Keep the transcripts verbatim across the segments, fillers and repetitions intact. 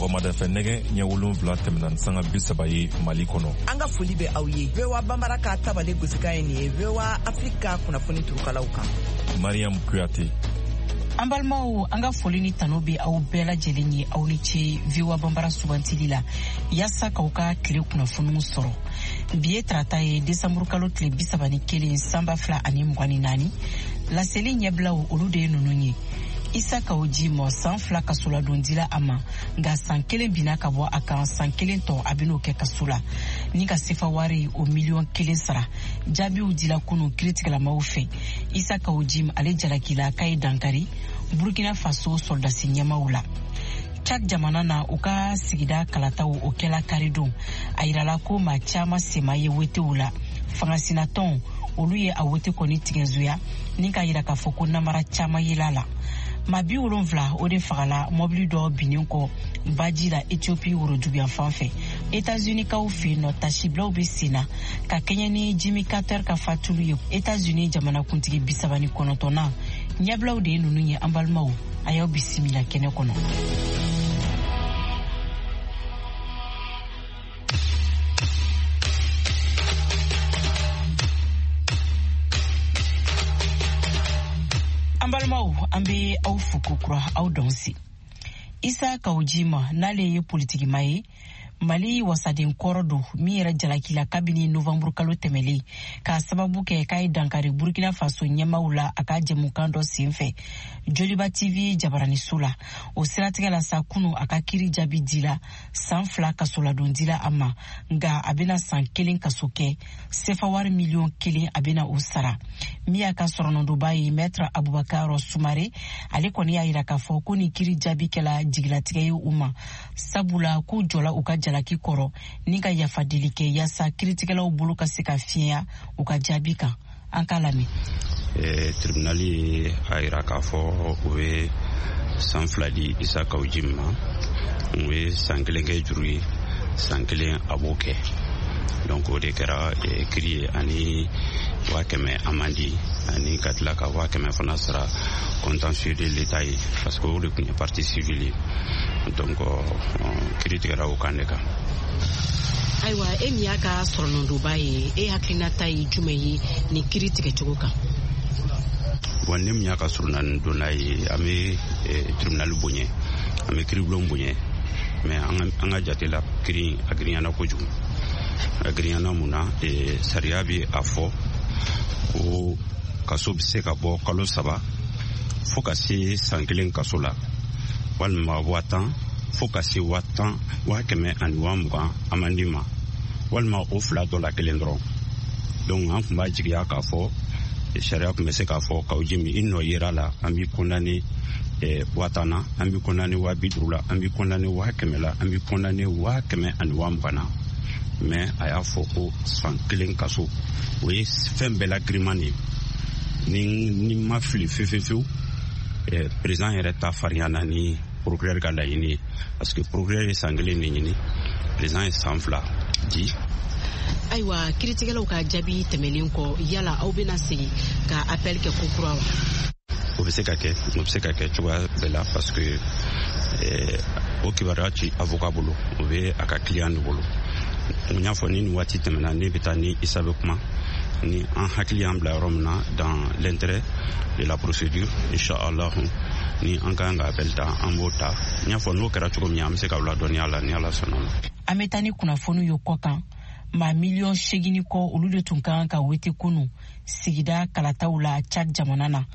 Sɔgɔmada fɛ nɛgɛ ɲɛ wolonwula tɛmɛna ni sanga bi saba ye Mali kɔnɔ. An ka foli bɛ aw ye. V O A Bambara ka tabale gosikan ye nin ye V O A Afrique ka kunnafoni turukalaw kan. Mariam Kuyate. An balimaw, an ka foli ni tanu bɛ aw bɛɛ lajɛlen ye, aw ni ce V O A Bambara sugantili la yaasa k'aw ka tile kunnafoniw sɔrɔ. Bi ye tarata ye, desanburu kalo tile bi saba ni kelen san ba fila ani mugan ni naani. Laseli ɲɛbilaw, olu de ye ninnu ye: Isa Kaw Jim, san fila kasoladon dila a ma, nka san kelen binna ka bɔ a kan, san kelen tɔ a ben'o kɛ kaso la ni ka sefa wari o miliyɔn kelen sara. Jaabiw dila kunu kiritigɛlamaw fɛ. Isa Kaw Jim, ale jalakila k'a ye dankari Burkina Faso sɔrɔdasi ɲɛmaw la. Chad jamana na, u ka sigida kalataw o kɛla karidon. A yirala ko maa caaman sema ye wetew la. Fangasinatɔnw, olu ye a wote kɔni tigɛnzoya ni k'a yira k'a fɔ ko namara caaman yela la. Maa bi wolonfila o de fagala mɔbili dɔ binnen kɔ baji la Ethiopie woroduguyan fan fɛ. Etats-Unis kaw fɛ yen nɔ, tasibilaw be sen na ka kɛɲɛ ni Jimmy Carter ka fatulu ye, Etats-Unis jamanakuntigi bisaba ni kɔnɔntɔnnan. Ɲɛbilaw de ye nunu ye. An balimaw, a y'aw bisimila kɛnɛ kɔnɔ. An balimaw, an be aw fo kokura, aw dɔnsi. Isa Kaw Jim, n'ale ye politikima ye, Mali wasaden kɔrɔ don, min yɛrɛ jalakila kabini novanburu kalo tɛmɛlen k'a sababu kɛ k'a ye dankari Burkina Faso ɲɛmaw la a ka jɛmukan dɔ sen fɛ Joliba T V jabaraniso la. O siratigɛ la sa, kunu a ka kiri jaabi dila, san fila kasoladon dila a ma, nka a bena san kelen kaso kɛ, sefa wari miliyɔn kelen a bena o sara. Min y'a ka sɔrɔnɔdonba ye, Maître Abubakar Sumare, ale kɔni y'a yira k'a fɔ ko nin kiri jaabi kɛla jigilatigɛ ye u ma, sabula k'u jɔla u ka jalaki kɔrɔ ni ka yafadeli kɛ yaasa kiritigɛlaw bolo ka se ka fiɲɛya u ka jaabi kan. An k'a lamɛn. Tribunal ye a yira k'a fɔ u bɛ san fila di Isa Kaw Jim ma, u ye san kelen kɛ juru ye, san kelen a b'o kɛ. Donc o de kɛra kiri ye, ani waa kɛmɛ amende, ani ka tila ka waa kɛmɛ fana sara contentieux de l'État ye, parce que o de tun ye partie civile ye. Donc kiri tigɛra o kan de kan. Ayiwa, e min y'a ka sɔrɔnɔdonba ye, e hakilinata ye jumɛn ye nin kiri tigɛcogo kan? Bon, ne min y'a ka sɔrɔnadonna ye, an bɛ tribunal bonya, an bɛ kiribulon bonya, mais an ka jate la, kiri a girinyana kojugu. A girinyana mun na? Sariya bɛ a fɔ ko kaso bɛ se ka bɔ kalo saba fo ka se san kelen kaso la, walima waa tan fo ka se waa tan waa kɛmɛ ani waa mugan amende ma, walima o fila dɔ la kelen dɔrɔn. Donc an tun b'a jigiya k'a fɔ sariya tun bɛ se k'a fɔ Kaw Jim, i nɔ yera la, an b'i condamné waa tan na, an b'i condamné waa bi duuru la, an b'i condamné waa kɛmɛ la, an b'i condamné waa kɛmɛ ani waa mugan na. Mais a y'a fɔ ko san kelen kaso, o ye fɛn bɛɛ la giriman de ye. Ni ni ma fili fewu fewu, président yɛrɛ ta farinyana ni procureur ka laɲini ye, parce que procureur ye san kelen de ɲini, président ye san fila di. Ayiwa, kiritigɛlaw ka jaabi tɛmɛnen kɔ, yala aw bɛna segin ka appel kɛ kokura wa? O bɛ se ka kɛ, o bɛ se ka kɛ cogoya bɛɛ la, parce que o kibaruya ci avocat bolo, o bɛ a ka client de bolo. N y'a fɔ, ni nin waati tɛmɛna, ne bɛ taa ni Isa bɛ kuma, ni an hakili y'an bila yɔrɔ min na, dans l'intérêt de la procédure, inchallah, ni an ka kan ka appel ta, an b'o ta. N y'a fɔ, n'o kɛra cogo min, an bɛ se k'aw ladɔnniya la, ni Ala sɔnna ma. An bɛ taa ni kunnafoniw ye kɔ kan. Maa miliyɔn segin kɔ, olu de tun ka kan ka wete kunu sigida kalataw la Chad jamana na,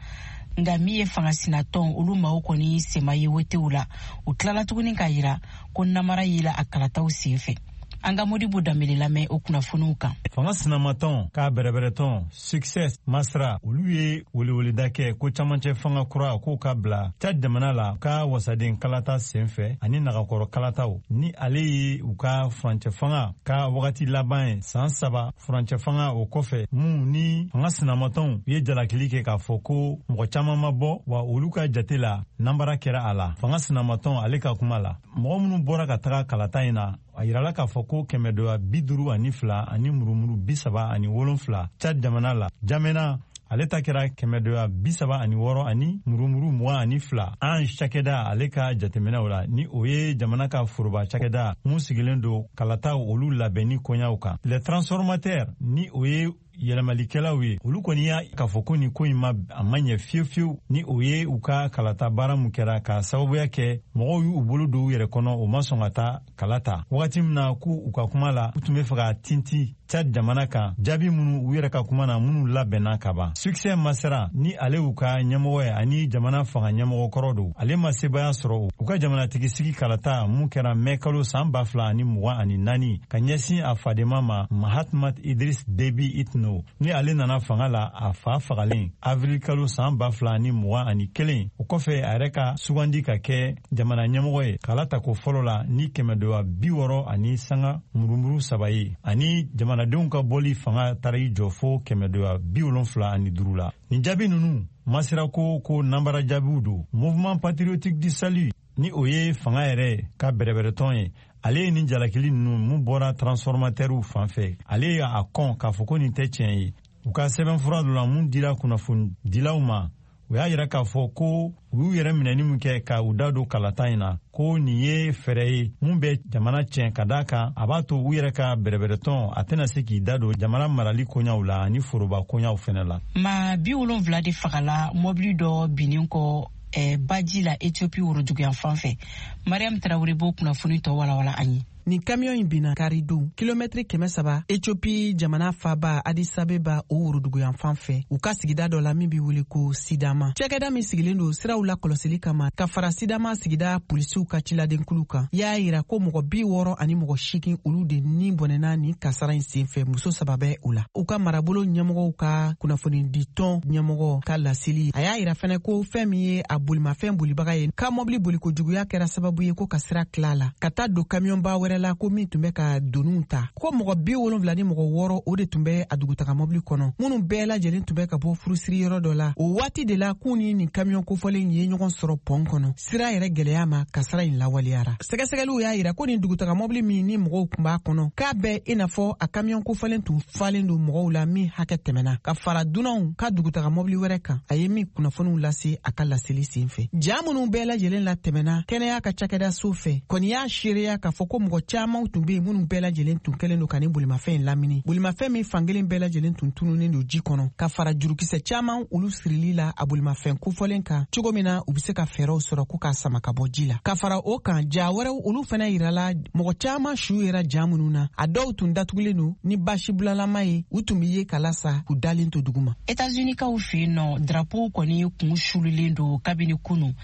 nka min ye fangasinatɔn, olu maaw kɔni sema ye wetew la. U tilala tuguni k'a yira ko namara yela a kalataw sen fɛ. An ka Modibo Danbele lamɛn o kunnafoniw kan. Fanga sinamatɔn k'a bɛrɛbɛrɛtɔn Succès Masra, olu ye weleweleda kɛ ko camancɛ fanga kura k'o ka bila Chad jamana la ka wasaden kalata sen fɛ ani nagakɔrɔ kalataw, ni ale ye u ka furancɛ fanga ka wagati laban ye, san saba furancɛ fanga. O kɔfɛ mun ni fanga sinamatɔnw ye jalakili kɛ k'a fɔ ko mɔgɔ caaman ma bɔ wa, olu ka jate la, nanbara kɛra a la. Fanga sinamatɔn ale ka kuma la, mɔgɔ minnu bɔra ka taga kalata in na, a yirala k'a fɔ ko kɛmɛ dɔya bi duuru ani fila ani murumuru bi saba ani wolonfila Chad jamana la jamana. Ale ta kɛra kɛmɛdoya bi saba ani wɔɔrɔ ani murumuru mugan ani fila. Ange cakɛda ale ka jateminɛw la, ni o ye jamana ka foroba cakɛda mun sigilen don kalataw olu labɛnni koɲaw kan. Les transformateurs, ni o ye yɛlɛmalikɛlaw ye, olu kɔni y'a k'a fɔ ko nin ko in ma a ma ɲɛ fiyewu fiyewu, ni o ye u ka kalata baara mun kɛra k'a sababuya kɛ mɔgɔw y'u bolo don u yɛrɛ kɔnɔ, u ma sɔn ka taa kala ta wagati min na k'u u ka kuma la u tun bɛ fɛ ka tinti Tchad jamana kan jaabi minnu u yɛrɛ ka kuma na minnu labɛnna ka ban. Succès Masra, ni ale y'u ka ɲɛmɔgɔ ye ani jamana fanga ɲɛmɔgɔ kɔrɔ don, ale ma sebaya sɔrɔ u ka jamanatigi sigi kalata mun kɛra mɛ kalo san ba fila ani mugan ani naani ka ɲɛsin a fadenma ma Mahatmat Idriss Déby Itno, ni ale nana fanga la a fa fagalen avril kalo san ba fila ani mugan ani kelen. O kɔfɛ a yɛrɛ ka sugandi ka kɛ jamana ɲɛmɔgɔ ye kala tako fɔlɔ la ni kɛmɛdoya bi wɔɔrɔ ani sanga murumuru saba ye, ani jamanadenw ka bɔli fanga taara i jɔ fo kɛmɛdoya bi wolonfila ani duuru la. Nin jaabi ninnu masira ko ko nanbara jaabiw don. Mouvement patriotique du salut, ni o ye fanga yɛrɛ ka bɛrɛbɛrɛtɔn ye, ale ye nin jalakili ninnu mun bɔra transformateurw fan fɛ, ale ye a kɔn k'a fɔ ko nin tɛ tiɲɛ ye. U ka sɛbɛnfura dɔ la mun dira kunnafonidilaw ma, u y'a yira k'a fɔ ko u y'u yɛrɛ minɛni min kɛ ka u da don kalata in na, ko nin ye fɛɛrɛ ye mun bɛ jamana tiɲɛ, ka d'a kan a b'a to u yɛrɛ ka bɛrɛbɛrɛtɔn a tɛna se k'i da don jamana marali koɲaw la ani foroba koɲaw fɛnɛ la. Maa bi wolonfila de fagala mɔbili dɔ binnen kɔ eh, baji la Ethiopie woroduguyan fan fɛ. Mariam Traoré b'o kunnafoni tɔ walawala an ye. Nin kamiyon in binna karidon kilomɛtiri kɛmɛ saba Ethiopie jamana faba Addis Abeba o woroduguyan fan fɛ, u ka sigida dɔ la min bɛ wele ko Sidama. Cakɛda min sigilen don siraw la kɔlɔsili kama ka fara Sidama sigida polisiw ka ciladenkulu kan, y'a yira ko mɔgɔ bi wɔɔrɔ ani mɔgɔ seegin olu de ni bɔnɛna nin kasara in senfɛ, muso saba bɛ o la. U ka marabolo ɲɛmɔgɔw ka kunnafoniditɔn ɲɛmɔgɔ ka laseli, a y'a yira fɛnɛ ko fɛn min ye a bolimafɛn bolibaga ye ka mɔbili bolikojuguya kɛra sababu ye ko ka sira tila la ka taa don kamiyɔnba wɛrɛ la ko min tun bɛ ka doniw ta, ko mɔgɔ bi wolonfila ni mɔgɔ wɔɔrɔ o de tun bɛ a dugutaga mɔbili kɔnɔ, minnu bɛɛ lajɛlen tun bɛ ka bɔ furusiri yɔrɔ dɔ la. O waati de la k'u ni nin kamiyɔn kofɔlen ye ɲɔgɔn sɔrɔ pɔn kɔnɔ. Sira yɛrɛ gɛlɛya ma kasara in lawaleyara. Sɛgɛsɛgɛliw y'a yira ko nin dugutaga mɔbili min ni mɔgɔw tun b'a kɔnɔ, k'a bɛɛ i n'a fɔ a kamiyɔn kofɔlen tun falen don mɔgɔw la min hakɛ tɛmɛna, ka fara dunanw ka dugutaga mɔbili wɛrɛ kan. A ye min kunnafoniw lase a ka laseli sen fɛ. Ja minnu bɛɛ lajɛlen latɛmɛna kɛnɛya ka cakɛda so fɛ kɔni y'a seereya k'a fɔ ko mɔgɔ caman tun bɛ yen minnu bɛɛ lajɛlen tun kɛlen don ka nin bolimafɛn in lamini. Bolimafɛn min fankelen bɛɛ lajɛlen tun tununnen don ji kɔnɔ, ka fara jurukisɛ caman olu sirili la a bolimafɛn kofɔlen kan cogo min na u bɛ se ka fɛɛrɛw sɔrɔ ko k'a sama ka bɔ ji la. Ka fara o kan, ja wɛrɛw olu fana yirala mɔgɔ caman su yera ja minnu na, a dɔw tun datugulen don ni basi bulalama ye, u tun bɛ ye kala sa k'u dalen to duguma. États-Unis-kaw fɛ yen nɔ, drapeau kɔni kun sululen don kabini kunu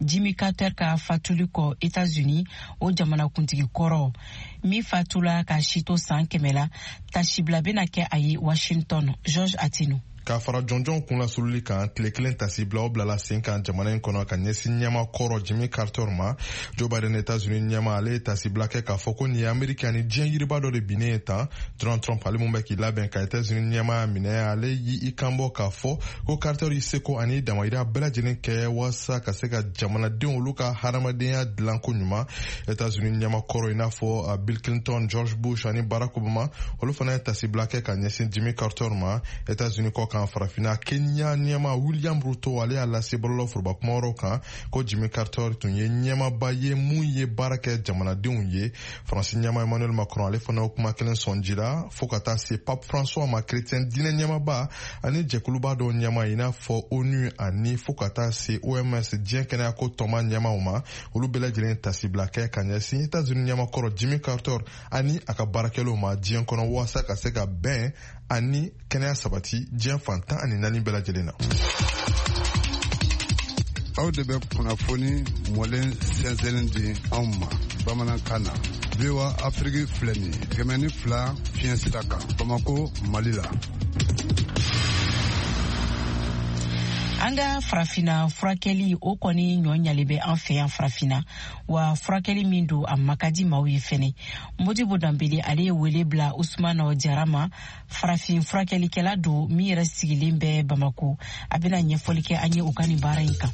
Jimmy Carter ka fatuli kɔ États-Unis, o jamanakuntigi kɔrɔ min fatula ka si to san kɛmɛ la, tasibila bɛna kɛ a ye Washington. George Atino. K'a fara jɔnjɔn kunlasululi kan, tile kelen tasibilaw bilala sen kan jamana in kɔnɔ ka ɲɛsin ɲɛma kɔrɔ Jimmy Carter ma. Joe Biden, États-Unis ɲɛma, ale ye tasibila kɛ k'a fɔ ko nin ye Ameriki ani diɲɛ yiriba dɔ de binnen ye tan. Donald Trump, ale mun bɛ k'i labɛn ka États-Unis ɲɛmaya minɛ, ale y'i kan bɔ k'a fɔ ko Carter y'i seko ani damayira bɛɛ lajɛlen kɛ walasa ka se ka jamanadenw olu ka hadamadenya dilan ko ɲuman. États-Unis ɲɛma kɔrɔ i n'a fɔ Bill Clinton, George Bush ani Barack Obama, olu fana ye tasibila kɛ ka ɲɛsin Jimmy Carter ma. États-Unis kɔ kan, farafinna Kenya ɲɛma William Ruto, ale y'a lase bɔlɔlɔ foroba kuma wɛrɛw kan ko Jimmy Carter tun ye ɲɛmaba ye mun ye baara kɛ jamanadenw ye. Faransi ɲɛma Emmanuel Macron, ale fana o kuma kelen sɔn ji la, fo ka taa se Pape François ma, chrétien diinɛ ɲɛmaba ani jɛkuluba dɔw ɲɛma i n'a fɔ ONU ani fo ka taa se O M S diɲɛ kɛnɛyako tɔnba ɲɛmaw ma, olu bɛɛ lajɛlen tasibila kɛ ka ɲɛsin États-Unis ɲɛma kɔrɔ Jimmy Carter ani a ka baarakɛlaw ma diɲɛ kɔnɔ walasa ka se ka bɛn ani kɛnɛya sabati diɲɛ fan tan ani naani bɛɛ lajɛlen na. Aw de bɛ kunnafoni mɔlen sɛnsɛnnen di anw ma bamanankan na. V O A Afrique filɛ nin ye kɛmɛ ni fila fiɲɛ sira kan Bamako, Mali la. An ka farafinna furakɛli o kɔni ɲɔ ɲalen bɛ an fɛ yan farafinna, wa furakɛli min don a ma ka di maaw ye fɛnɛ. Modibo Danbele ale ye wele bila Usumana Jara ma, farafin furakɛlikɛla don min yɛrɛ sigilen bɛ Bamako. A bɛna ɲɛfɔli kɛ an ye u ka nin baara in kan.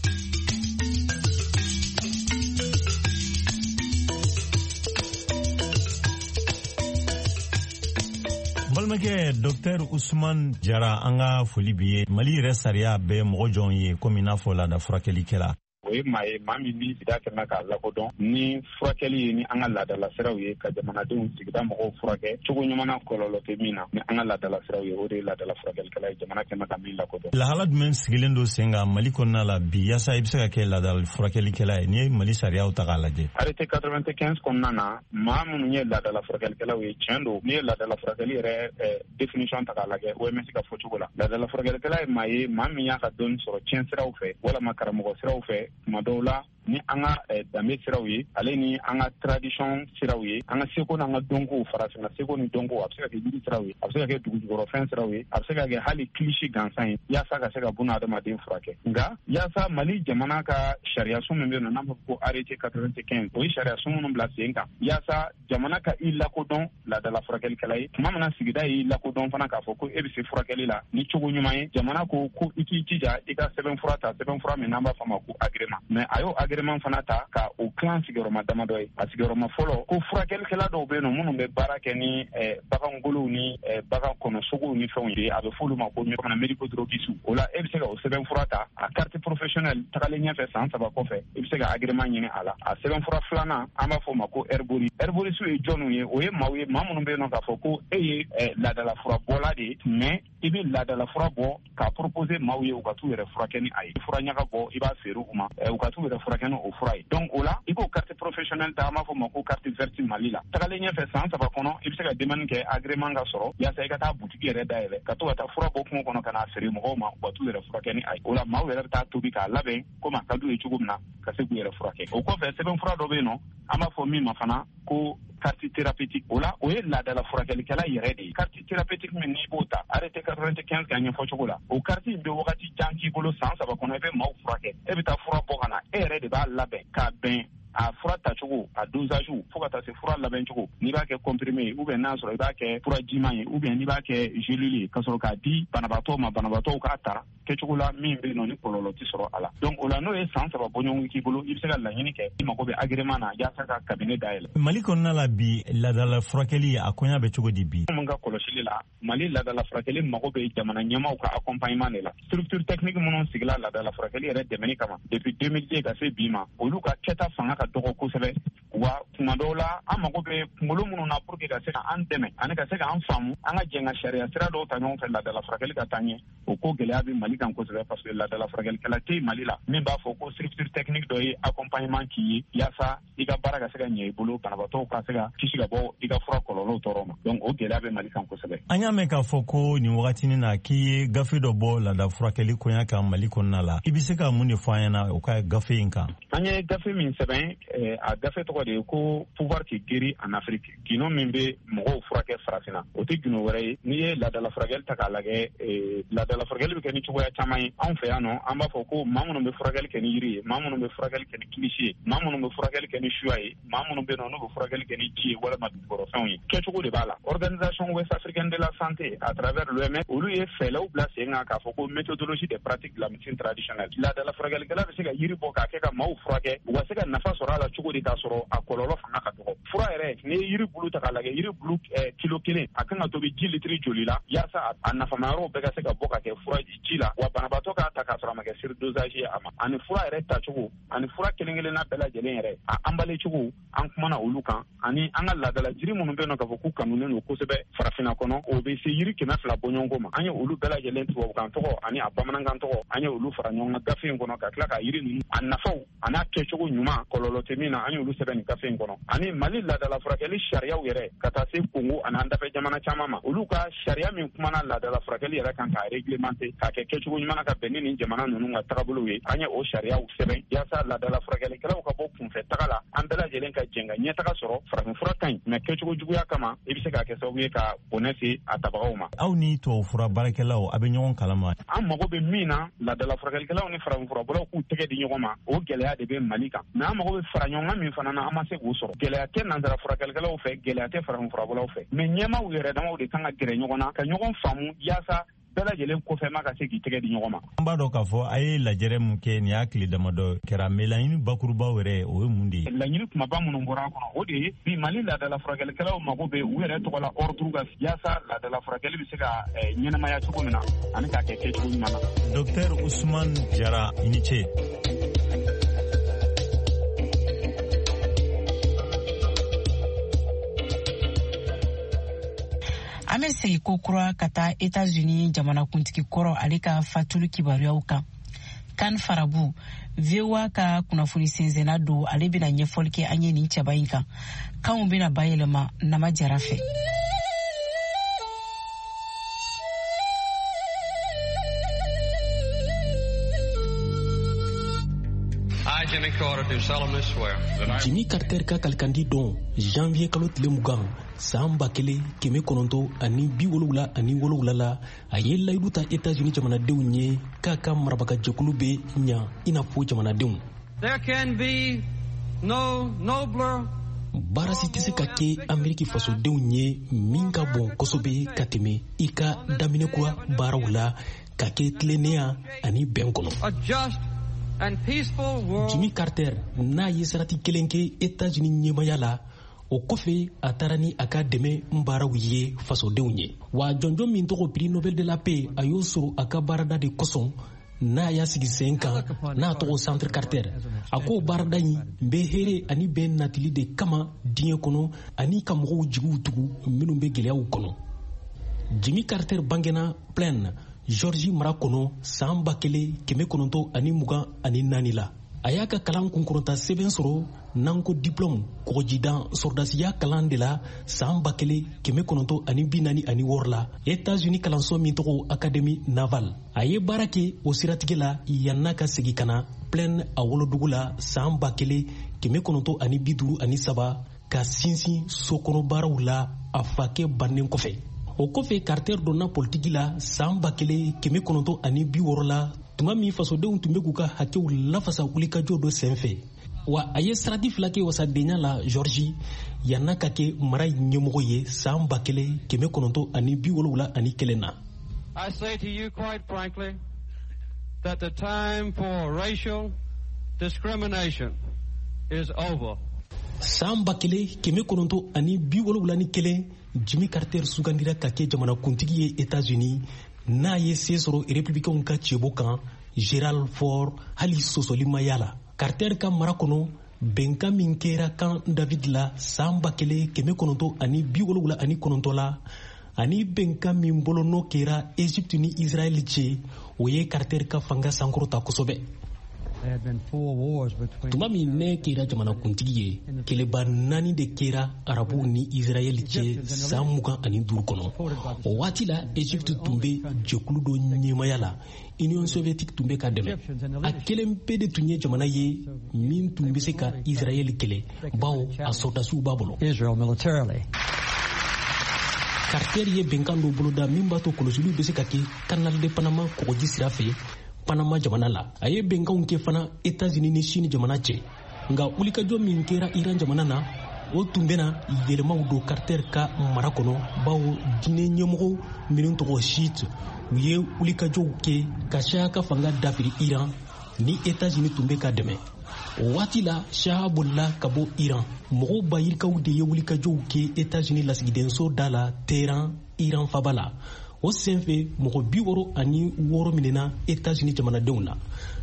Balima Balimakɛ Docteur Ousmane Jara, an ka foli b'i ye. Mali yɛrɛ sariya bɛ mɔgɔ jɔn ye komi n'a fɔ laada furakɛlikɛla? O ye maa ye, maa min b'i sigida kɛmɛ k'a lakodɔn ni furakɛli ye, ni an ka laadala siraw ye, ka jamanadenw, sigida mɔgɔw furakɛ cogo ɲuman na, kɔlɔlɔ tɛ min na, ni an ka laadala siraw ye, o de ye laadala furakɛlikɛla ye, jamana kɛmɛ ka min lakodɔn. Lahala jumɛn sigilen don sen kan Mali kɔnɔna la bi yaasa i bɛ se ka kɛ laadala furakɛlikɛla ye, n'i ye Mali sariyaw ta k'a lajɛ? Arrêté quatre-vingt-quinze kɔnɔna na, maa minnu ye laadala furakɛlikɛlaw ye, tiɲɛ don, n'i ye laadala furakɛli yɛrɛ définition ta k'a lajɛ O M S ka fɔcogo la, laadala furakɛlikɛla ye maa ye, maa min y'a ka dɔnni sɔrɔ tiɲɛ siraw fɛ walama karamɔgɔ siraw fɛ, tuma dɔw la ni an ka danbe siraw ye, ale ni an ka tradition siraw ye, an ka seko n'an ka dɔnkow, farafinna seko ni dɔnko, a bɛ se ka kɛ yiri siraw ye, a bɛ se ka kɛ dugujukɔrɔfɛn siraw ye, a bɛ se ka kɛ hali kilisi gansan ye, yaasa ka se ka buna adamaden furakɛ. Nka yaasa Mali jamana ka sariyasun min bɛ yen nɔ, n'an b'a fɔ ko arrêté quatre-vingt-quinze, o ye sariyasun minnu bila sen kan yaasa jamana ka i lakodɔn laadala furakɛlikɛla ye. Tuma min na sigida y'i lakodɔn fana k'a fɔ ko e bɛ se furakɛli la ni cogo ɲuman ye, jamana ko ko i k'i jija i ka sɛbɛnfura ta, sɛbɛnfura min n'an b'a fɔ a ma ko agrément. Mais a y'o agrément fana ta ka o kilan sigiyɔrɔma damadɔ ye. A sigiyɔrɔma fɔlɔ, ko furakɛlikɛla dɔw bɛ yen nɔ minnu bɛ baara kɛ ni bagangolow ni bagan kɔnɔsogow ni fɛnw ye, a bɛ f'olu ma ko médico-droguiste. O la e bɛ se ka o sɛbɛnfura ta, a carte professionnelle tagalen ɲɛfɛ san saba kɔfɛ, i bɛ se ka agrément ɲini a la. A sɛbɛnfura filanan, an b'a fɔ o ma ko herboriste. Herboriste ye jɔnniw ye? O ye maaw ye, maa minnu bɛ yen nɔ k'a fɔ ko e ye laadala furabɔla de ye, mais i bɛ laadala fura bɔ k'a proposer maaw ye u ka t'u yɛrɛ furakɛ ni a ye. Fura ɲaga bɔ, i b'a feere u ma, u ka t'u yɛrɛ furakɛ ni o fura ye. Donc o la i b'o carte professionnelle ta, an b'a fɔ o ma ko carte verte Mali la. Tagalen ɲɛfɛ san saba kɔnɔ, i bɛ se ka demande kɛ agrément ka sɔrɔ yaasa i ka taa butigi yɛrɛ dayɛlɛ, ka to ka taa fura bɔ kungo kɔnɔ ka n'a feere mɔgɔw ma, u ka t'u yɛrɛ furakɛ ni a ye. O la maaw yɛrɛ bɛ taa tobi k'a labɛn komi a ka d'u ye cogo min na, ka se k'u yɛrɛ furakɛ. O kɔfɛ, sɛbɛnfura dɔ bɛ yen nɔ, an b'a fɔ min ma fana ko carte thérapeutique. O la o ye laadala furakɛlikɛla yɛrɛ de ye. Carte thérapeutique min n'i b'o ta, arrêté quatre-vingt-quinze ka ɲɛfɔ cogo la, o carte in bɛ wagati jan k'i bolo, san saba kɔnɔ i bɛ maaw furakɛ. E bɛ taa fura bɔ ka na, e yɛrɛ de b'a labɛn k'a bɛn a fura tacogo, a dosage, fo ka taa se fura labɛn cogo, n'i b'a kɛ comprimé ye ou bien n'a sɔrɔ i b'a kɛ fura jiman ye ou bien n'i b'a kɛ gelule ye, ka sɔrɔ k'a di banabaatɔ ma, banabaatɔw k'a ta kɛcogo la min bɛ yen nɔ ni kɔlɔlɔ tɛ sɔrɔ a la. Donc o la n'o ye san saba bɔɲɔgɔn k'i bolo, i bɛ se ka laɲini kɛ, i mago bɛ agrément na yaasa ka cabinet dayɛlɛ. Mali kɔnɔna la bi, laadala furakɛli a koɲa bɛ cogo di bi? Mun ka kɔlɔsili la, Mali laadala furakɛli mago bɛ jamana ɲɛmaaw ka accompagnement de la. Structure technique minnu sigila laadala furakɛli yɛrɛ dɛmɛni kama depuis deux mille deux ka se bi ma, olu ka kɛta fanga ka dɔgɔ kosɛbɛ. Wa tuma dɔw la an mago bɛ kunkolo minnu na pour que ka se ka an dɛmɛ ani ka se k'an faamu, an ka jɛn ka sariya sira dɔw ta ɲɔgɔn fɛ laadala furakɛli ka taa ɲɛ. O ko gɛlɛya bɛ Mali kan kosɛbɛ, parce que laadala furakɛlikɛla tɛ Mali la min b'a fɔ ko structure technique dɔ ye accompagnement k'i ye yaasa i ka baara ka se ka ɲɛ i bolo, banabaatɔw ka se ka kisi ka bɔ i ka fura kɔlɔlɔw tɔɔrɔ ma. Donc o gɛlɛya bɛ Mali kan kosɛbɛ. An y'a mɛn k'a fɔ ko nin wagatinin na k'i ye gafe dɔ bɔ laada furakɛli koɲa kan Mali kɔnɔna la, i bɛ se ka mun de fɔ an ɲɛna o ka gafe in kan? An ye gafe min sɛbɛn, a gafe tɔgɔ de ye ko pouvoir qui guérit en Afrique, gundo min bɛ mɔgɔw furakɛ farafinna. O tɛ gundo wɛrɛ ye, n'i ye laadala furakɛli ta k'a lajɛ, laadala furakɛli bɛ kɛ ni cogoya caman ye anw fɛ yan nɔ. An b'a fɔ ko maa minnu bɛ furakɛli kɛ ni yiri ye, maa minnu bɛ furakɛli kɛ ni kilisi ye, maa minnu bɛ furakɛli kɛ ni suya ye, maa minnu bɛ yen nɔ n'u bɛ furakɛli kɛ ni ji ye walima dugukɔrɔfɛnw ye, kɛcogo de b'a la. Organisation Ouest africaine de la santé à travers l'O M S, olu ye fɛɛrɛw bila sen kan k'a fɔ ko méthodologie des pratiques de la médecine traditionnelle. Laadala furakɛlikɛla bɛ se ka yiri bɔ k'a kɛ ka maaw furakɛ, u ka se ka nafa sɔrɔ a la cogo di k'a sɔrɔ a kɔlɔlɔ fanga ka dɔgɔ. Fura yɛrɛ, n'i ye yiri bulu ta k'a lajɛ, yiri bulu kilo kelen a kan ka tobi ji litiri joli la yaasa a nafamayɔrɔw bɛɛ ka se ka bɔ ka kɛ fura ji la, wa banabaatɔ k'a ta k'a sɔrɔ a ma kɛ surdosage ye a ma. Ani fura yɛrɛ tacogo, ani fura kelen kelenna bɛɛ lajɛlen yɛrɛ a anbale cogo, an kumana olu kan. Ani an ka laadala jiri minnu bɛ yen nɔ k'a fɔ k'u kanunen don kosɛbɛ farafinna kɔnɔ, o bɛ se yiri kɛmɛ fila bɔɲɔgɔnko ma. An ye olu bɛɛ lajɛlen tubabukan tɔgɔ ani a bamanankan tɔgɔ, an ye olu fara ɲɔgɔn kan gafe in kɔnɔ, ka tila ka yiri ninnu a nafaw a n'a kɛcogo ɲuman, kɔlɔlɔ tɛ min na, an y'olu sɛbɛn nin gafe in kɔnɔ. Ani Mali laadala furakɛli sariyaw yɛrɛ, ka taa se Kongo ani an dafɛ jamana caman ma, olu ka sariya min kumana laadala furakɛli yɛrɛ kan k'a réglementer, k'a kɛ kɛcogo ɲuman na ka bɛn ni nin jamana ninnu ka tagabolow ye, an ye o sariyaw sɛbɛn yaasa laadala furakɛlikɛlaw ka bɔ kunfɛ taga la, an bɛɛ lajɛlen ka jɛn ka ɲɛtaga sɔrɔ. Farafinfura ka ɲi, mɛ kɛcogo juguya kama i bɛ se k'a kɛ sababu ye ka bɔnɛ se a tabagaw ma. Aw ni tubabufura baarakɛlaw, a bɛ ɲɔgɔn kalama? An mago bɛ min na, laadala furakɛlikɛlaw ni farafinfurabɔlaw k'u tɛgɛ di ɲɔgɔn ma, o gɛlɛya de bɛ Mali kan. Mɛ an mago bɛ fara ɲɔgɔn kan min fana na, an ma se k'o sɔrɔ. Gɛlɛya tɛ nansara furakɛlikɛlaw fɛ, gɛlɛya tɛ farafinfurabɔlaw fɛ, mɛ ɲɛmaaw yɛrɛ damaw de kan ka gɛrɛ ɲɔgɔn na ka ɲɔgɔn faamu yaasa Bɛɛ lajɛlen kɔfɛ ma ka se k'i tɛgɛ di ɲɔgɔn ma. An b'a dɔn k'a fɔ a ye lajɛrɛ mun kɛ nin y'a tile damadɔ kɛra, mais laɲini bakurubaw yɛrɛ o ye mun de ye? Laɲini kumaba minnu bɔra a kɔnɔ, o de ye bi Mali laadala furakɛlikɛlaw mago bɛ u yɛrɛ tɔgɔ la ordre ka yaasa laadala furakɛli bɛ se ka ɲɛnamaya cogo min na ani k'a kɛ kɛcogo ɲuman na. Docteur Ousmane Jara, i ni ce. An bɛ segin ko kura ka taa États-Unis jamanakuntigi kɔrɔ ale ka fatuli kibaruyaw kan. Kan Farabu, V O A ka kunnafoni sɛnsɛnna don, ale bɛna ɲɛfɔli kɛ an ye nin cɛba in kan. Kanw bɛna bayɛlɛma Nama Jara fɛ. Jimmy Carter ka kalikandi don janvier kalo tile mugan san ba kelen kɛmɛ kɔnɔntɔn ani bi wolowula ani wolowula la, a ye layidu ta États-Unis jamanadenw ye k'a ka marabagajɛkulu bɛ ɲa i n'a fɔ jamanadenw. There can be no nobler Baara si tɛ se ka kɛ Ameriki fasodenw ye min ka bon kosɛbɛ ka tɛmɛ i ka daminɛ kura baaraw la ka kɛ tilennenya ani bɛn kɔnɔ. Jimmy Carter n'a ye sarati kelen kɛ États-Unis ɲɛmaya la, o kɔfɛ a taara ni a ka dɛmɛ baaraw ye fasodenw ye. Wa jɔnjɔn min tɔgɔ prix Nobel de la paix, a y'o sɔrɔ a ka baarada de kosɔn n'a y'a sigi sen kan n'a tɔgɔ Centre Carter. A k'o baarada in bɛ hɛrɛ ani bɛn natili de kama diɲɛ kɔnɔ ani ka mɔgɔw jigiw tugu minnu bɛ gɛlɛyaw kɔnɔ. Jimmy Carter bangena Plain, Georgie mara kɔnɔ san ba kelen kɛmɛ kɔnɔntɔn ani mugan ani naani la. A y'a ka kalan kunkɔrɔta sɛbɛn sɔrɔ n'an ko diplôme kɔgɔjidan sɔrɔdasiya kalan de la san ba kelen kɛmɛ kɔnɔntɔn ani bi naani ani wɔɔrɔ la États-Unis kalanso min tɔgɔ Académie Navale. A ye baara kɛ o siratigɛ la yann'a ka segin ka na Plain a wolodugu la san ba kelen kɛmɛ kɔnɔntɔn ani bi duuru ani saba ka sinsin sokɔnɔ baaraw la a fakɛ bannen kɔfɛ. O kɔfɛ Carter donna politiki la san ba kelen kɛmɛ kɔnɔntɔn ani bi wɔɔrɔ la tuma min fasodenw tun bɛ k'u ka hakɛw lafasa wulikajɔ dɔ senfɛ. Wa a ye sarati fila kɛ wasadenya la Georgie yann'a ka kɛ mara ɲɛmɔgɔ ye san ba kelen kɛmɛ kɔnɔntɔn ani bi wolonwula ani kelen na. I say to you quite frankly that the time for racial discrimination is over. San ba kelen kɛmɛ kɔnɔntɔn ani bi wolonwula ni kelen, Jimmy Carter sugandira ka kɛ jamanakuntigi ye États-Unis n'a ye se sɔrɔ républicainw ka cɛbɔ kan Gerald Ford hali sɔsɔli ma y'a la. Carter ka mara kɔnɔ bɛnkan min kɛra Camp David la san ba kelen kɛmɛ kɔnɔntɔn ani bi wolonwula ani kɔnɔntɔn la ani bɛnkan min bolonɔ kɛra Égypte ni Israël cɛ, o ye Carter ka fanga sankɔrɔta kosɛbɛ. Tuma min ne kɛra jamanakuntigi ye, kɛlɛba naani de kɛra arabuw ni Israɛl cɛ san mugan ani duuru kɔnɔ. O waati la Égypte tun bɛ jɛkulu dɔ ɲɛmaya la, Union soviétique tun bɛ ka dɛmɛ. A kelen pe de tun ye jamana ye min tun bɛ se ka Israɛl kɛlɛ, bawo a sɔrɔdasiw b'a bolo. Carter ye bɛnkan dɔ boloda min b'a to kɔlɔsiliw bɛ se ka kɛ Canal de Panama kɔgɔji sira fɛ Panama jamana la. A ye bɛnkanw kɛ fana États-Unis ni Chine jamana cɛ. Nka wulikajɔ min kɛra Iran jamana na, o tun bɛna yɛlɛmaw don Carter ka mara kɔnɔ, bawo diinɛ ɲɛmɔgɔ minnu tɔgɔ Shiite, u ye wulikajɔw kɛ ka Shah ka fanga dafiri Iran ni États-Unis tun bɛ ka dɛmɛ. O waati la Shah bolila ka bɔ Iran. Mɔgɔw ba yirikaw de ye wulikajɔw kɛ États-Unis lasigidenso da la Téhéran, Iran faba la. O senfɛ mɔgɔ bi wɔɔrɔ ani wɔɔrɔ minɛna États-Unis jamanadenw la.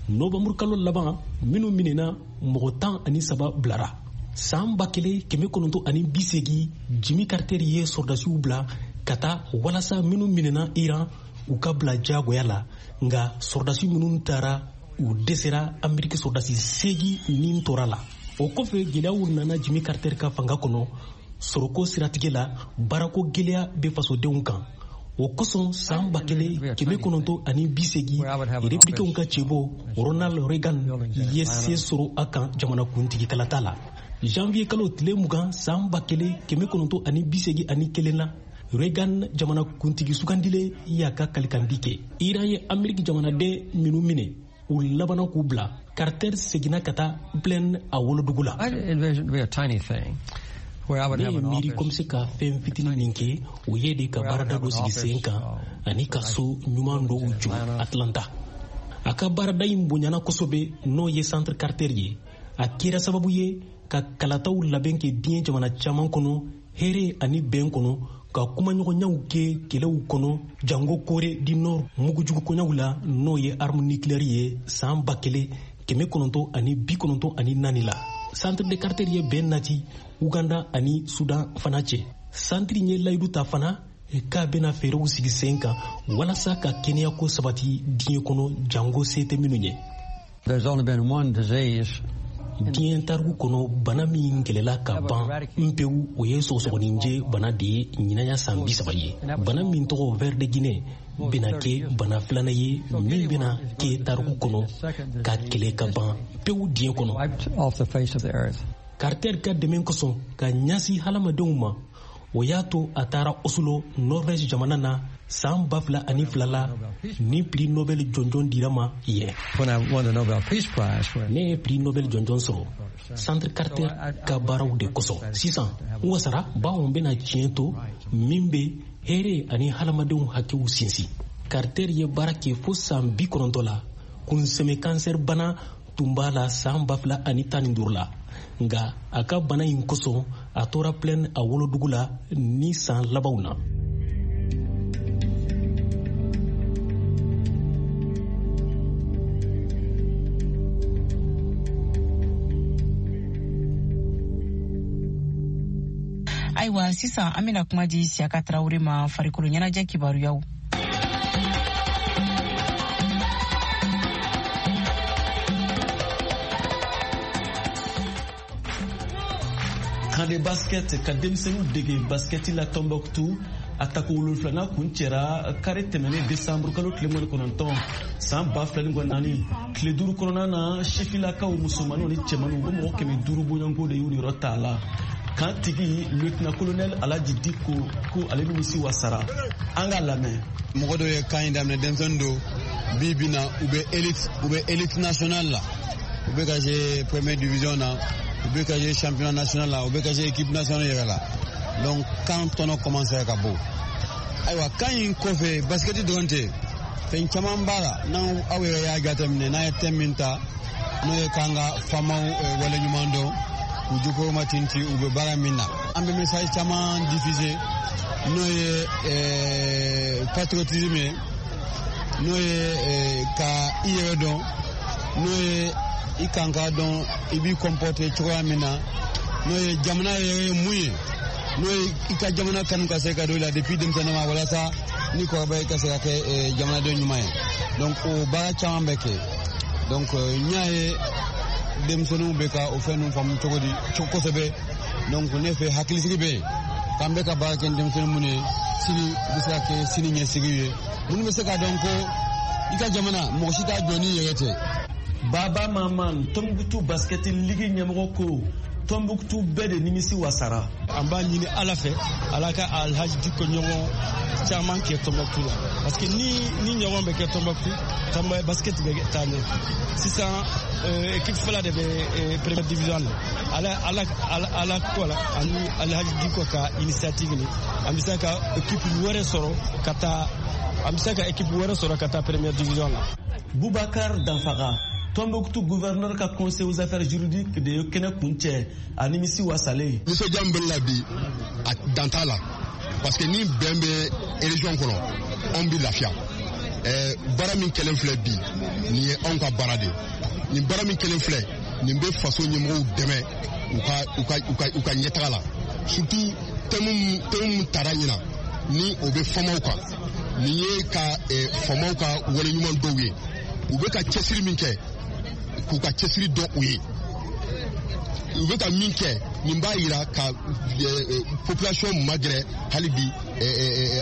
Novanburu kalo laban minnu minɛna mɔgɔ tan ani saba bilara. San ba kelen kɛmɛ kɔnɔntɔn ani bi seegin, Jimmy Carter ye sɔrɔdasiw bila ka taa walasa minnu minɛna Iran u ka bila diyagoya la. Nka sɔrɔdasi minnu taara u dɛsɛra Ameriki sɔrɔdasi seegin nin tora la. O kɔfɛ gɛlɛyaw nana Jimmy Carter ka fanga kɔnɔ sɔrɔko siratigɛ la, baarako gɛlɛya bɛ fasodenw kan. O kosɔn san ba kelen kɛmɛ kɔnɔntɔn ani bi seegin, républicainw ka cɛbɔ Ronald Reagan ye se sɔrɔ a kan jamanakuntigi kalata la. Janvier kalo tile mugan san ba kelen kɛmɛ kɔnɔntɔn ani bi seegin ani kelen na, Reagan jamanakuntigi sugandilen y'a ka kalikandi kɛ. Iran ye Ameriki jamanaden minnu minɛ, u labanna k'u bila. Carter seginna ka taa Plain a wolodugu la. Ne ye miiri ko n bɛ se ka fɛn fitinin min kɛ, o ye de ka baarada dɔ sigi sen kan ani ka so ɲuman dɔw jɔ Atlanta. A ka baarada in bonyana kosɛbɛ, n'o ye Centre Carter ye. A kɛra sababu ye ka kalataw labɛn kɛ diɲɛ jamana caman kɔnɔ, hɛrɛ ani bɛn kɔnɔ, ka kumaɲɔgɔnyaw kɛ kɛlɛw kɔnɔ, jango Corée du Nord mugujugu koɲaw la, n'o ye arme nucléaire ye san ba kelen kɛmɛ kɔnɔntɔn ani bi kɔnɔntɔn ani naani la. Centre de Carter ye bɛn nati Uganda ani Sudan fana cɛ. Centre ye layidu ta fana k'a bɛna fɛɛrɛw sigi sen kan walasa ka kɛnɛyako sabati diɲɛ kɔnɔ, jango se tɛ minnu ye. Diɲɛ tariku kɔnɔ, bana min kɛlɛla ka ban npewu, o ye sɔgɔsɔgɔninjɛ bana de ye ɲinaya san bi saba ye. Bana min tɔgɔ ver de Guinée bɛna kɛ bana filanan ye min bɛna kɛ tariku kɔnɔ ka kɛlɛ ka ban pewu diɲɛ kɔnɔ. Carter ka dɛmɛ kosɔn ka ɲɛsin hadamadenw ma, o y'a to a taara Oslo, Norvège jamana na san ba fila ani fila la, ni prix Nobel jɔnjɔn dira ma yen. Ne ye prix Nobel jɔnjɔn sɔrɔ Centre Carter ka baaraw de kosɔn. Sisan n wasara bawo n bɛna tiɲɛ to min bɛ hɛrɛ ani hadamadenw hakɛw sinsin. Carter ye baara kɛ fo san bi kɔnɔntɔn la. Kunsɛmɛ kansɛri bana tun b'a la san ba fila ani tan ni duuru la, nka a ka bana in kosɔn a tora Plaine a wolodugu la ni san labanw na. Ayiwa, sisan an bɛna kuma di Siyaka Tarawele ma farikolo ɲɛnajɛ kibaruyaw. Kan de basket ka denmisɛnninw dege basketi la Tombouctou, a tako wolonfilanan kun cɛra kari tɛmɛnen desanburu kalo tile mugan ni kɔnɔntɔn san ba fila ni mugan naani. Tile duuru kɔnɔna na, sifilakaw musomaninw ni cɛmaninw o mɔgɔ kɛmɛ duuru bɔɲɔgɔnko de y'u niyɔrɔ t'a la. Kan tigi lieutenant colonel Alhaji Diko ko ale nimisi wasara. An k'a lamɛn. Mɔgɔ dɔw ye kan in daminɛ, denmisɛnnin don bi bi na, u bɛ élite u bɛ élite nationale la, u bɛ ka jouer première division na, u bɛ ka jouer championnat national la, u bɛ ka jouer équipe nationale yɛrɛ la. Donc kan tɔnɔ commencé ka bɔ. Ayiwa, kan in kɔfɛ basket dɔrɔn tɛ, fɛn caman b'a la. N'aw aw yɛrɛ y'a jateminɛ, n'a ye thème min ta, n'o ye k'an ka faamaw waleɲuman dɔn, k'u jukɔrɔma tinti u bɛ baara min na. An bɛ message caman diffuser, n'o ye patriotisme ye, n'o ye ka i yɛrɛ dɔn, n'o ye i kan k'a dɔn i b'i comporter cogoya min na, n'o ye jamana yɛrɛ ye mun ye, n'o ye i ka jamana kanu ka se ka don i la depuis denmisɛnnin ma, walasa ni kɔrɔbaya i ka se ka kɛ jamanaden ɲuman ye. Donc o baara caman bɛ kɛ. Donc n y'a ye denmisɛnninw bɛ ka o fɛn ninnu faamu cogo di kosɛbɛ. Donc ne fɛ hakilisigi bɛ yen k'an bɛ ka baara kɛ ni denmisɛnnin minnu ye, sini bɛ se ka kɛ sini ɲɛsigi ye, minnu bɛ se k'a dɔn ko i ka jamana mɔgɔ si t'a jɔ n'i yɛrɛ tɛ. Baba Maman, Tombouctou basket ligue ɲɛmɔgɔ ko Tombouctou bɛɛ de nimisi wasara. An b'a ɲini Ala fɛ, Ala ka Alhaji Diko ɲɔgɔn caman kɛ Tombouctou la, parce que ni ni ɲɔgɔn bɛ kɛ Tombouctou, Tombouctou basket bɛ taa ɲɛ. Sisan équipe fila de bɛ première division la. Ala ala ala ko la ani Alhaji Diko ka initiative ni an bɛ se ka équipe wɛrɛ sɔrɔ ka taa an bɛ se ka équipe wɛrɛ sɔrɔ ka taa première division la. Boubacar Danfara, Tombouctou gouverneur ka conseil aux affaires juridiques de ye kɛnɛ kuncɛ a nimisi wasalen. Nisɔndiya min bɛ ne la bi, a dan t'a la, parce que ni bɛn bɛ région kɔnɔ, anw bɛ lafiya. Ɛɛ baara min kɛlen filɛ bi, nin ye anw ka baara de ye. Nin baara min kɛlen filɛ, nin bɛ faso ɲɛmɔgɔw dɛmɛ u ka u ka u ka u ka ɲɛtaga la. Surtout thème thème min tara ɲinan ni o bɛ faamaw kan, nin ye ka faamaw ka waleɲuman dɔw ye. U bɛ ka cɛsiri min kɛ, k'u ka cɛsiri dɔn u ye. U bɛ ka min kɛ, nin b'a yira ka population magɛrɛ hali bi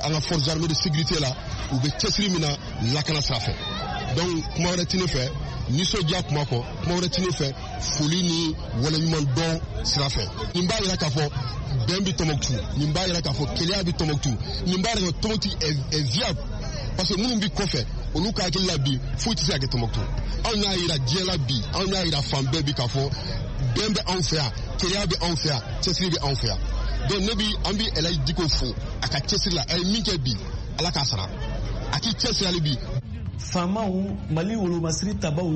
an ka forces armées de sécurité la, u bɛ cɛsiri min na lakana sira fɛ. Donc kuma wɛrɛ tɛ ne fɛ, nisɔndiya kuma kɔ, kuma wɛrɛ tɛ ne fɛ foli ni waleɲuman dɔn sira fɛ. Nin b'a yira k'a fɔ bɛn bɛ Tombouctou, nin b'a yira k'a fɔ kelenya bɛ Tombouctou, nin b'a yira k'a fɔ Tombouctou est viable. Parce que minnu bɛ kɔfɛ, olu ka hakili la bi foyi tɛ se ka kɛ Tombouctou. Anw y'a yira diɲɛ la bi, anw y'a yira fan bɛɛ bi k'a fɔ bɛn bɛ anw fɛ yan, kelenya bɛ anw fɛ yan, cɛsiri bɛ anw fɛ yan. Donc ne bi an bi Elhaji Dicko fo a ka cɛsiri la, a ye min kɛ bi Ala k'a sara, a k'i cɛsiri hali bi. Faamaw, Mali wolomasiri tabaw,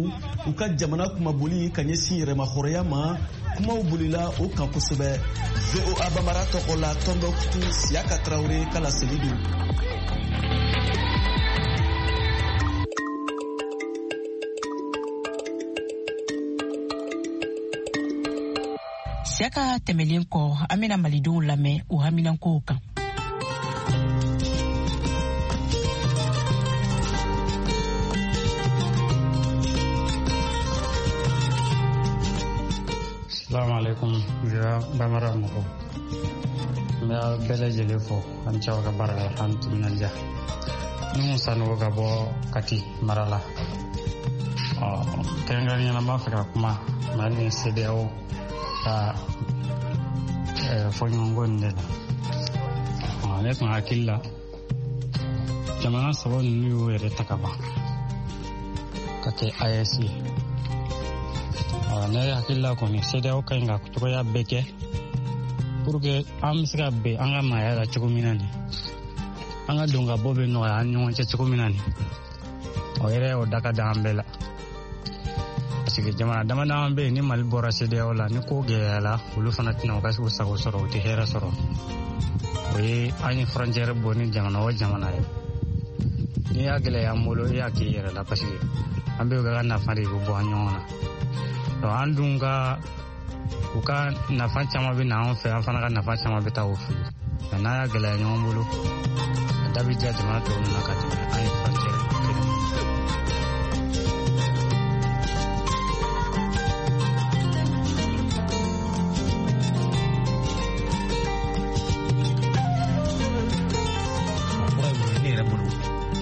u ka jamana kumaboli ka ɲɛsin yɛrɛmahɔrɔnya ma, kumaw bolila o kan kosɛbɛ. V O A Bambara tɔgɔ la, Tombouctou, Siaka Traoré ka laseli don. Siaka tɛmɛlen kɔ, an bɛna malidenw lamɛn u haminankow kan. Assalamu alaikum, V O A Bambara mɔgɔw. N bɛ aw bɛɛ lajɛlen fo, an cɛw ka baara la, an timinandiya. Ni mun Sanogo ka bɔ Kati mara la. Ɔ kɛrɛnkɛrɛnnenya la n b'a fɛ ka kuma Mali ni C D A O ka fɔɲɔgɔnkɔ nin de la. Ɔ ne tun hakili la jamana saba ninnu y'u yɛrɛ ta ka ban ka kɛ A E S ye. Ne hakili la kɔni C D A O ka ɲi ka cogoya bɛɛ kɛ pour que an bɛ se ka bɛn an ka maaya la cogo min na nin, an ka don ka bɔ bɛ nɔgɔya an ni ɲɔgɔn cɛ cogo min na nin, o yɛrɛ o da ka di an bɛɛ la. Parce que jamana dama dama bɛ yen ni Mali bɔra C D A O la, ni ko gɛlɛyara olu fana tɛna u ka u sago sɔrɔ, u tɛ hɛrɛ sɔrɔ. O ye an ye frontière bɔ ni jamana o jamana ye. N'i y'a gɛlɛya an bolo, i y'a k'i yɛrɛ la, parce que an bɛɛ ka nafa de bɛ bɔ an ɲɔgɔn na. Donc an dun ka u ka nafa caman bɛ na an fɛ, an fana ka nafa caman bɛ taa o fɛ. Mɛ n'a y'a gɛlɛya ɲɔgɔn bolo, a da bɛ diya jamana tɔw na ka tɛmɛ an ye frontière kelen. Fura ye mun ye ne yɛrɛ bolo,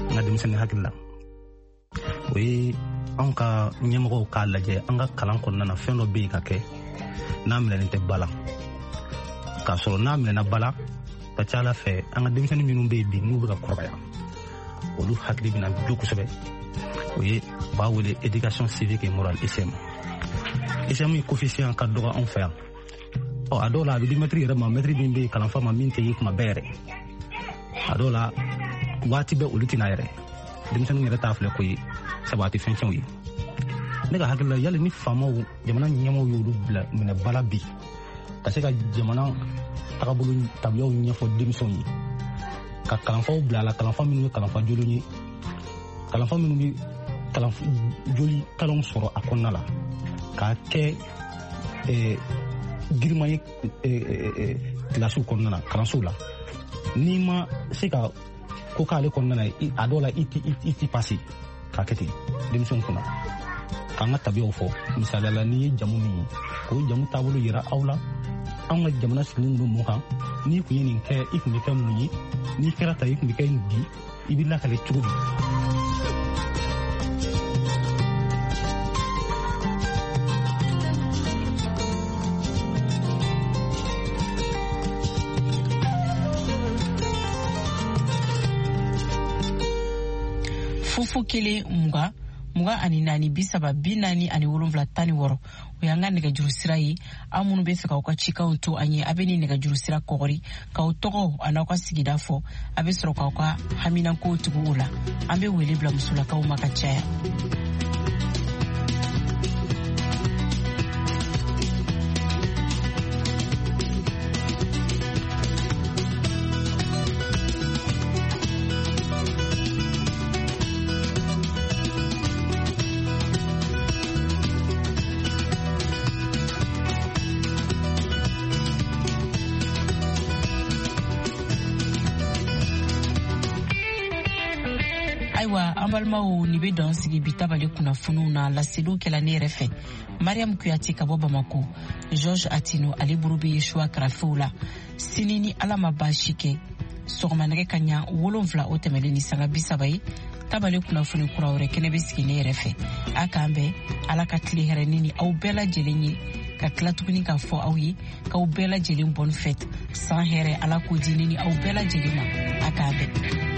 n ka denmisɛnnin hakili la, o ye anw ka ɲɛmɔgɔw k'a lajɛ an ka kalan kɔnɔna na, fɛn dɔ bɛ yen ka kɛ n'a minɛnen tɛ ba la. K'a sɔrɔ n'a minɛna ba la, ka ca Ala fɛ an ka denmisɛnnin minnu bɛ yen bi n'u bɛ ka kɔrɔbaya, olu hakili bɛna jo kosɛbɛ. O ye u b'a wele éducation civique et morale, E C M. E C M ye coefficient ka dɔgɔ anw fɛ yan. Ɔ a dɔw la a bɛ di mɛtiri yɛrɛ ma, mɛtiri min bɛ yen kalanfa ma min tɛ ye kuma bɛɛ yɛrɛ. A dɔw la waati bɛɛ olu tɛna yɛrɛ. Denmisɛnninw yɛrɛ t'a filɛ ko ye, sabu a tɛ fɛn tiɲɛ u ye. Ne ka hakili la, yali ni faamaw, jamana ɲɛmɔgɔw y'olu bila minɛ ba la bi, ka se ka jamana tagabolo tabiyaw ɲɛfɔ denmisɛnw ye, ka kalanfaw bila a la, kalanfa minnu ye kalanfa jolen ye, kalanfa minnu bɛ kalan joli kalanw sɔrɔ a kɔnɔna la, k'a kɛ eh, girinman ye eh, kilasiw kɔnɔna na, kalansow la. N'i ma se ka ko k'ale kɔnɔna na, a dɔw la i ti i ti pase k'a kɛ ten denmisɛnw kunna. K'an ka tabiyaw fɔ, misaliya la n'i ye jamu min ye, k'o jamu taabolo yira aw la, anw ka jamana sigilen don mun kan, n'i kun ye nin kɛ i kun bɛ kɛ mun ye, n'i kɛra ta i kun bɛ kɛ nin di, i bɛ lakale cogo di. Fufu kelen mugan mugan ani naani bi saba bi naani ani wolonwula tan ni wɔɔrɔ, o y'an ka nɛgɛjuru sira ye. Aw minnu bɛ fɛ k'aw ka cikanw to an ye, a bɛ nin nɛgɛjuru sira kɔgɔri k'aw tɔgɔ an'aw ka sigida fɔ, a bɛ sɔrɔ k'aw ka haminankow tugu o la. An bɛ wele bila musolakaw ma ka caya. Ayiwa an balimaw, nin bɛ dan sigi bi tabale kunnafoniw na. Laseliw kɛla ne yɛrɛ fɛ, Mariam Kuyate ka bɔ Bamako, Georges Atino ale bolo bɛ Yesua karafew la. Sini ni Ala ma baasi kɛ, sɔgɔma nɛgɛ ka ɲa wolonfila o tɛmɛlen ni sanga bi saba ye, tabale kunnafoni kura wɛrɛ kɛnɛ bɛ sigi ne yɛrɛ fɛ. A k'an bɛn, Ala ka tile hɛrɛ ne ni aw bɛɛ lajɛlen ye, ka tila tuguni k'a fɔ aw ye k'aw bɛɛ lajɛlen bonne fête, san hɛrɛ Ala k'o di ne ni aw bɛɛ lajɛlen ma. A k'an bɛn.